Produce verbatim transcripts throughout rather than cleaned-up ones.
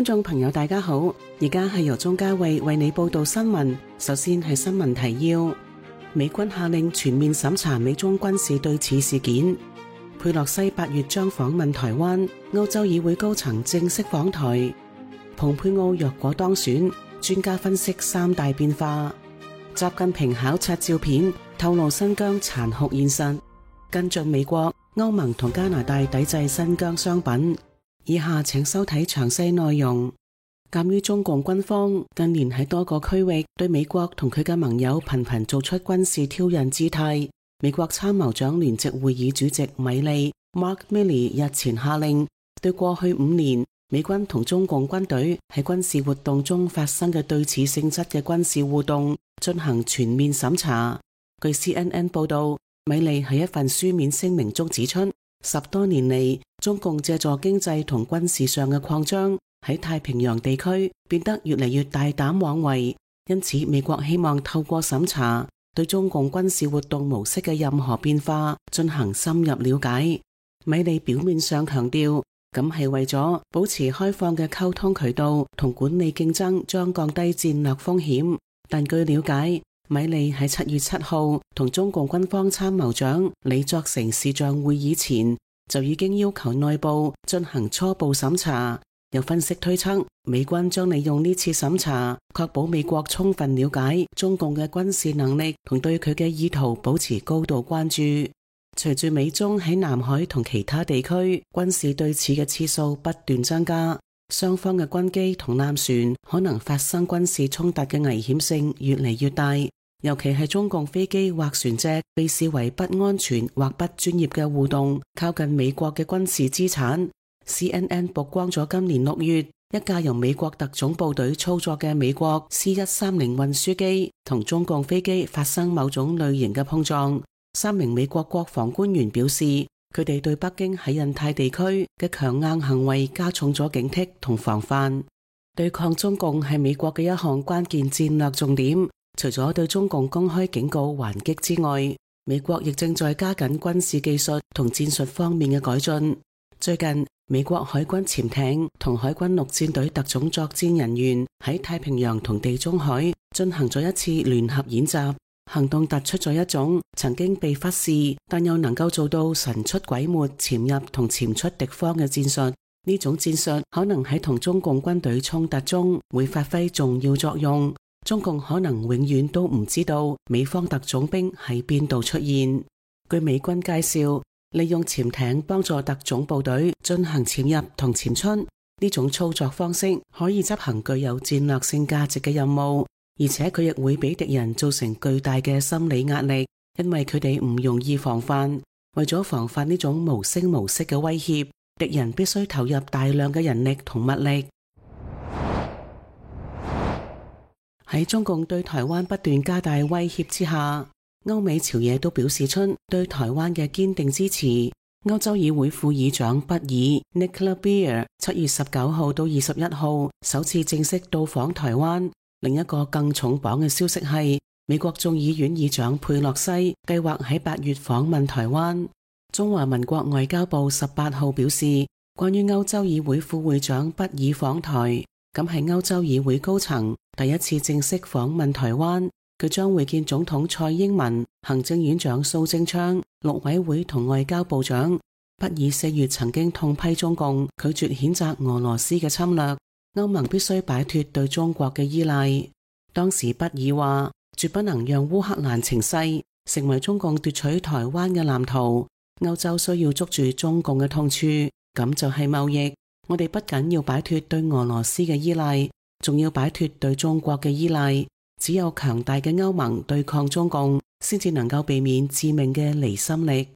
觀眾朋友大家好，而家係由鍾嘉慧為你報道新聞。首先係新聞提要：美軍下令全面審查美中軍事對峙事件。佩洛西八月將訪問台灣，歐洲議會高層正式訪台。蓬佩奧若果當選，專家分析三大變化。習近平考察照片透露新疆殘酷現實。跟進美國、歐盟同加拿大抵制新疆商品。以下請收睇詳細內容。鑒於中共軍方近年喺多個區域對美國同佢嘅盟友頻頻做出軍事挑釁姿態，美國參謀長聯席會議主席米利 Mark Milley 日前下令，對過去五年美軍同中共軍隊喺軍事活動中發生嘅對峙性質嘅軍事互動進行全面審查。據 C N N 報道，米利喺一份書面聲明中指出，十多年嚟，中共借助經濟同軍事上嘅擴張，喺太平洋地區變得越嚟越大膽妄為，因此美國希望透過審查對中共軍事活動模式嘅任何變化進行深入了解。米利表面上強調，咁係為咗保持開放嘅溝通渠道同管理競爭，將降低戰略風險。但據了解，米利喺七月七號同中共軍方參謀長李作成視像會議前，就已經要求內部進行初步審查。有分析推測，美軍將利用呢次審查，確保美國充分了解中共嘅軍事能力同對佢嘅意圖保持高度關注。隨住美中喺南海同其他地區軍事對峙嘅次數不斷增加，雙方嘅軍機同艦船可能發生軍事衝突嘅危險性越嚟越大，尤其係中共飛機或船隻被視為不安全或不專業嘅互動靠近美國嘅軍事資產。C N N 曝光咗今年六月一架由美國特種部隊操作嘅美國 C 一三零運輸機同中共飛機發生某種類型嘅碰撞。三名美國國防官員表示，佢哋對北京喺印太地區嘅強硬行為加重咗警惕同防範。對抗中共係美國嘅一項關鍵戰略重點，除咗對中共公開警告還擊之外，美國亦正在加緊軍事技術同戰術方面嘅改進。最近，美國海軍潛艇同海軍陸戰隊特種作戰人員喺太平洋同地中海進行咗一次聯合演習，行動突出咗一種曾經被忽視但又能夠做到神出鬼沒潛入同潛出敵方嘅戰術。呢種戰術可能喺同中共軍隊衝突中會發揮重要作用。中共可能永遠都唔知道美方特種兵喺邊度出現。據美軍介紹，利用潛艇幫助特種部隊進行潛入同潛出，呢種操作方式可以執行具有戰略性價值嘅任務，而且佢亦會俾敵人造成巨大嘅心理壓力，因為佢哋唔容易防範。為咗防範呢種無聲無息嘅威脅，敵人必須投入大量嘅人力同物力。喺中共對台灣不斷加大威脅之下，歐美朝野都表示出對台灣嘅堅定支持。歐洲議會副議長畢爾 Nicola Beer 七月十九號到二十一號首次正式到訪台灣。另一個更重磅嘅消息係，美國眾議院議長佩洛西計劃喺八月訪問台灣。中華民國外交部十八號表示，關於歐洲議會副會長畢爾訪台，咁係歐洲議會高層第一次正式訪問台灣。佢將會見總統蔡英文、行政院長蘇貞昌、陸委會同外交部長。畢爾四月曾經痛批中共拒絕譴責俄羅斯嘅侵略，歐盟必須擺脫對中國嘅依賴。當時畢爾話，絕不能讓烏克蘭情勢成為中共奪取台灣嘅藍圖。歐洲需要捉住中共嘅痛處，咁就係貿易。我哋不僅要擺脫對俄羅斯嘅依賴，仲要擺脫對中國嘅依賴。只有強大嘅歐盟對抗中共，先至能夠避免致命嘅離心力。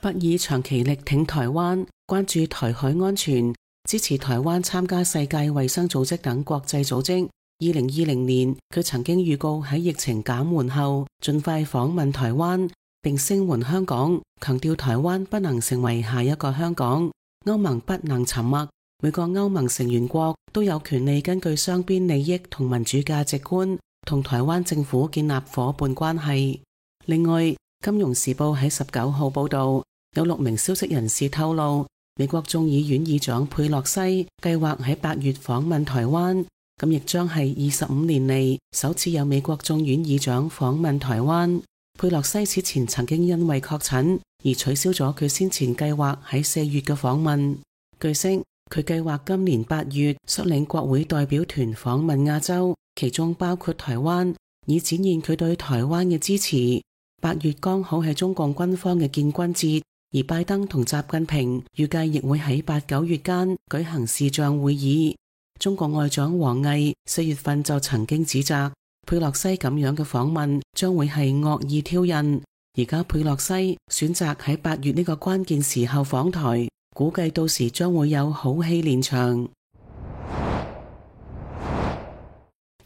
畢爾長期力挺台灣，關注台海安全，支持台灣參加世界衛生組織等國際組織。二零二零年，佢曾經預告喺疫情減緩後，盡快訪問台灣，並聲援香港，強調台灣不能成為下一個香港，歐盟不能沉默。每個歐盟成員國都有權利根據雙邊利益同民主價值觀，同台灣政府建立夥伴關係。另外，金融時報喺十九號報道，有六名消息人士透露，美國眾議院議長佩洛西計劃喺八月訪問台灣，咁亦將係二十五年嚟首次有美國眾院議長訪問台灣。佩洛西此前曾經因為確診而取消咗佢先前計劃喺四月嘅訪問。據悉，佢計劃今年八月率領國會代表團訪問亞洲，其中包括台灣，以展現佢對台灣嘅支持。八月剛好係中共軍方嘅建軍節，而拜登同習近平預計亦會喺八九月間舉行視像會議。中國外長王毅四月份就曾經指責佩洛西咁樣嘅訪問將會係惡意挑釁。而家佩洛西選擇喺八月呢個關鍵時候訪台，估計到時將會有好戲連場。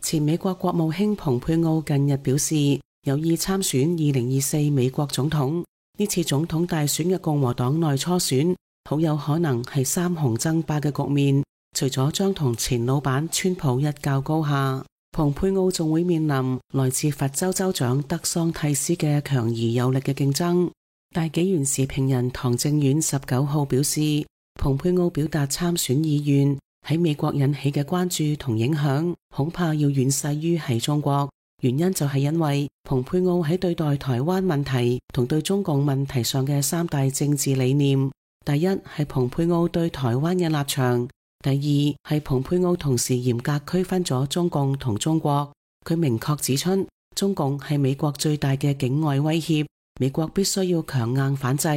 前美國國務卿蓬佩奧近日表示有意參選二零二四美國總統。呢次總統大選嘅共和黨內初選好有可能係三雄爭霸嘅局面，除咗將同前老闆川普一較高下，蓬佩奧仲會面臨來自佛州州長德桑蒂斯嘅強而有力嘅競爭。大紀元時評人唐正遠十九號表示，蓬佩奧表達參選意願喺美國引起嘅關注同影響恐怕要遠勢於喺中國，原因就係因為蓬佩奧喺對待台灣問題同對中共問題上嘅三大政治理念。第一係蓬佩奧對台灣嘅立場，第二係蓬佩奧同時嚴格區分咗中共同中國。佢明確指出，中共係美國最大嘅境外威脅，美國必須要強硬反制。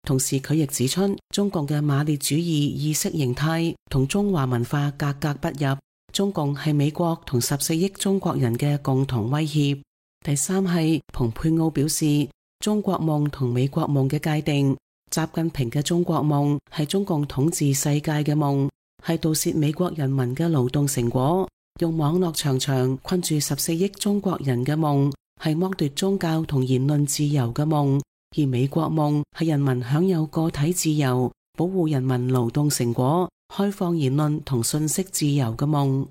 同時佢亦指出，中共嘅馬列主義意識形態同中華文化格格不入，中共係美國同十四億中國人嘅共同威脅。第三係蓬佩奧表示，中國夢同美國夢嘅界定，習近平嘅中國夢係中共統治世界嘅夢，係盜竊美國人民嘅勞動成果，用網絡長牆困住十四億中國人嘅夢，係剝奪宗教同言論自由嘅夢。而美國夢係人民享有個體自由，保護人民勞動成果，開放言論同信息自由嘅夢。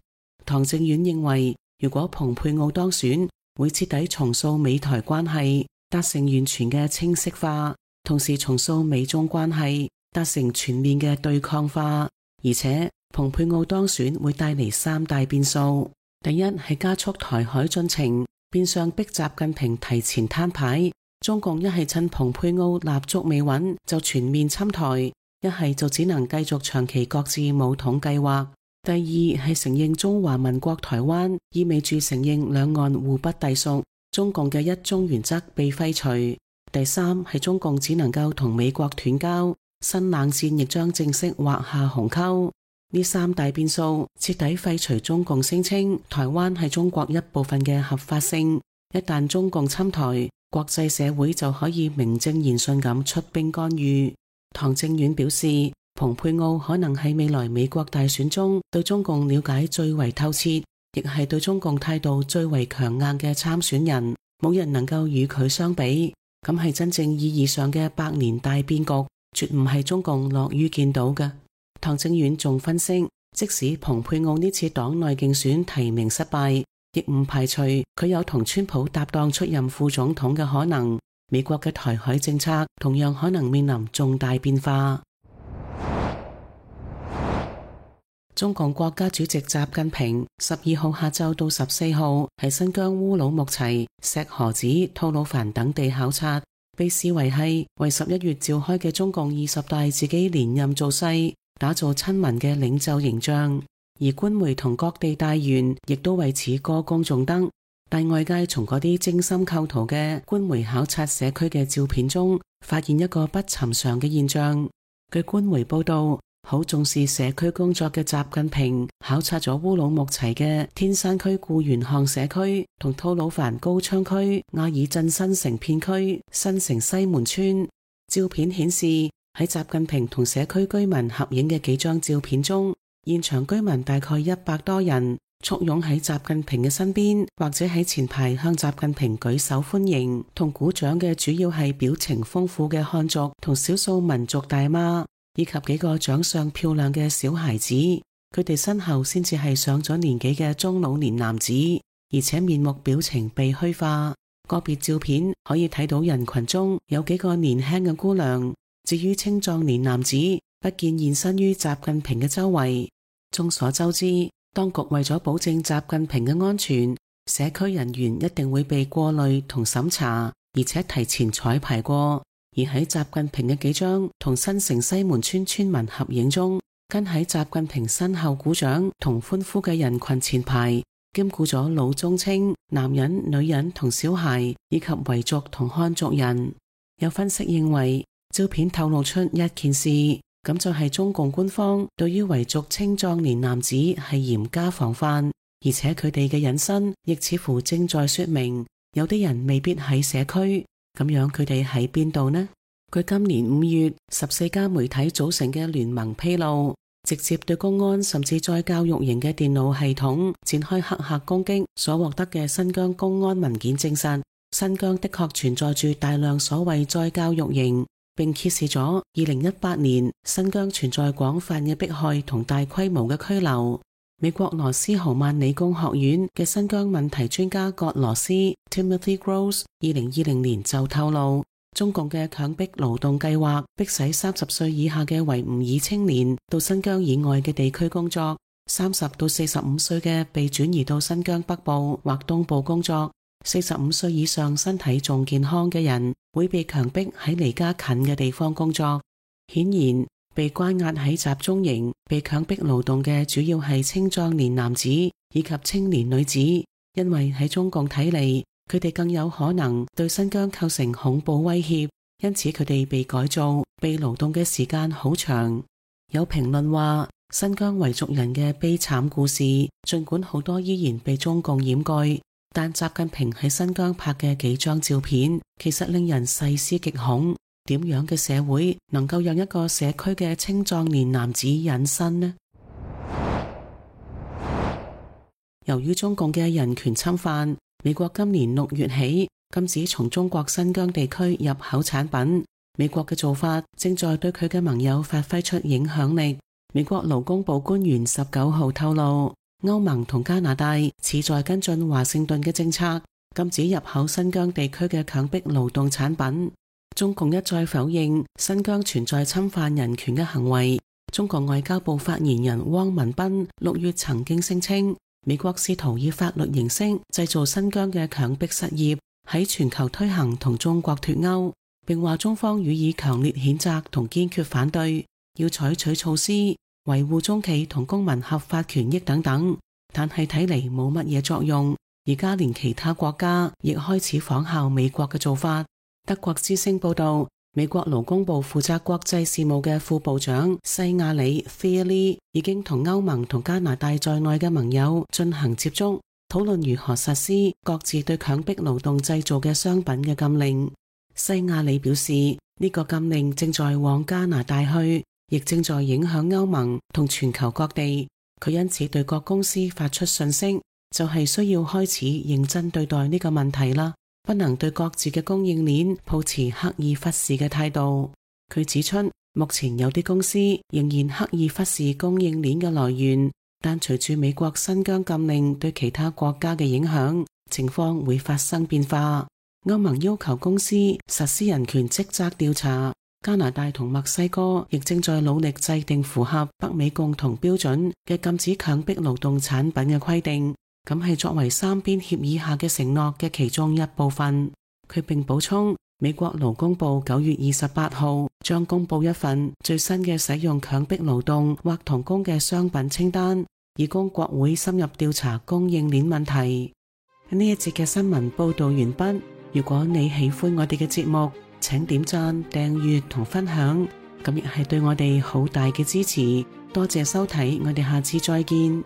唐正遠認為，如果蓬佩奧當選，會徹底重塑美台關係，達成完全嘅清晰化，同時重塑美中關係，達成全面嘅對抗化。而且蓬佩奧當選會帶嚟三大變數，第一係加速台海進程，變相逼習近平提前攤牌。中共一係趁蓬佩奧立足未穩就全面侵台，一係就只能繼續長期擱置武統計劃。第二係承認中華民國台灣，意味住承認兩岸互不隸屬，中共嘅一中原則被廢除。第三係中共只能夠同美國斷交，新冷戰亦將正式劃下鴻溝。呢三大變數徹底廢除中共聲稱台灣係中國一部分嘅合法性。一旦中共侵台，國際社會就可以名正言順咁出兵干預。唐正遠表示，蓬佩奧可能係未來美國大選中對中共了解最為透徹，亦係對中共態度最為強硬嘅參選人，冇人能夠與佢相比。咁係真正意義上嘅百年大變局，絕唔係中共樂於見到嘅。唐正遠仲分析，即使蓬佩奧呢次黨內競選提名失敗，亦唔排除佢有同川普搭檔出任副總統嘅可能。美國嘅台海政策同樣可能面臨重大變化。中共國家主席習近平十二號下晝到十四號喺新疆烏魯木齊、石河子、吐魯番等地考察，被視為係為十一月召開嘅中共二十大自己連任造勢，打造親民嘅領袖形象。而官媒同各地大員亦都為此歌功頌德，但外界從嗰啲精心構圖嘅官媒考察社區嘅照片中，發現一個不尋常嘅現象。據官媒報道，好重視社區工作嘅習近平考察咗烏魯木齊嘅天山區固原巷社區同吐魯番高昌區阿爾鎮新城片區新城西門村。照片顯示，喺習近平同社區居民合影嘅幾張照片中，現場居民大概一百多人，簇擁喺習近平嘅身邊，或者喺前排向習近平舉手歡迎同鼓掌嘅主要係表情豐富嘅漢族同少數民族大媽，以及幾個長相漂亮嘅小孩子。佢哋身後先至係上咗年紀嘅中老年男子，而且面目表情被虛化。個別照片可以睇到人群中有幾個年輕嘅姑娘，至於青壯年男子不見現身於習近平嘅周圍。眾所周知，當局為咗保證習近平嘅安全，社區人員一定會被過濾同審查，而且提前彩排過。而喺習近平嘅幾張同新城西門村村民合影中，跟喺習近平身後鼓掌同歡呼嘅人群前排，兼顧咗老中青、男人、女人同小孩，以及維族同漢族人。有分析認為，照片透露出一件事，咁就係中共官方對於維族青壯年男子係嚴加防範，而且佢哋嘅隱身亦似乎正在說明，有啲人未必喺社區。咁樣佢哋喺邊度呢？據今年五月十四家媒體組成嘅聯盟披露，直接對公安甚至再教育營嘅電腦系統展開黑客攻擊所獲得嘅新疆公安文件證實，新疆的確存在住大量所謂再教育營，並揭示咗二零一八年新疆存在廣泛嘅迫害同大規模嘅拘留。美國羅斯豪曼理工學院嘅新疆問題專家葛羅斯 Timothy Gross 二零二零年就透露，中共嘅強迫勞動計劃迫使三十歲以下嘅維吾爾青年到新疆以外嘅地區工作，三十到四十五歲嘅被轉移到新疆北部或東部工作，四十五歲以上身體仲健康嘅人會被強迫喺離家近嘅地方工作。顯然，被關押喺集中營、被強迫勞動嘅主要係青壯年男子以及青年女子，因為喺中共睇嚟，佢哋更有可能對新疆構成恐怖威脅，因此佢哋被改造、被勞動嘅時間好長。有評論話，新疆維族人嘅悲慘故事，儘管好多依然被中共掩蓋，但習近平喺新疆拍嘅幾張照片，其實令人細思極恐。點樣嘅社會能夠讓一個社區嘅青壯年男子隱身呢？由於中共嘅人權侵犯，美國今年六月起禁止從中國新疆地區入口產品。美國嘅做法正在對佢嘅盟友發揮出影響力。美國勞工部官員十九號透露，歐盟同加拿大旨在跟進華盛頓嘅政策，禁止入口新疆地區嘅強迫勞動產品。中共一再否認新疆存在侵犯人權嘅行為。中國外交部發言人汪文斌六月曾經聲稱，美國試圖以法律形式製造新疆嘅強迫失業，喺全球推行同中國脫鈎，並話中方予以強烈譴責同堅決反對，要採取措施維護中企同公民合法權益等等。但係睇嚟冇乜嘢作用，而家連其他國家亦開始仿效美國嘅做法。德國之聲報道，美國勞工部負責國際事務嘅副部長西亞里 Thierry 已經同歐盟同加拿大在內嘅盟友進行接觸，討論如何實施各自對強迫勞動製造嘅商品嘅禁令。西亞里表示，呢個禁令正在往加拿大去，亦正在影響歐盟同全球各地。佢因此對各公司發出訊息，就係需要開始認真對待呢個問題啦。不能對各自嘅供應鏈抱持刻意忽視嘅態度。佢指出，目前有啲公司仍然刻意忽視供應鏈嘅來源，但隨住美國新疆禁令對其他國家嘅影響，情況會發生變化。歐盟要求公司實施人權職責調查，加拿大同墨西哥亦正在努力制定符合北美共同標準嘅禁止強迫勞動產品嘅規定。咁係作為三邊協議下嘅承諾嘅其中一部分。佢並補充，美國勞工部九月二十八號將公布一份最新嘅使用強迫勞動或童工嘅商品清單，以供國會深入調查供應鏈問題。呢一節嘅新聞報道完畢。如果你喜歡我哋嘅節目，請點讚、訂閱同分享，咁亦係對我哋好大嘅支持。多謝收睇，我哋下次再見。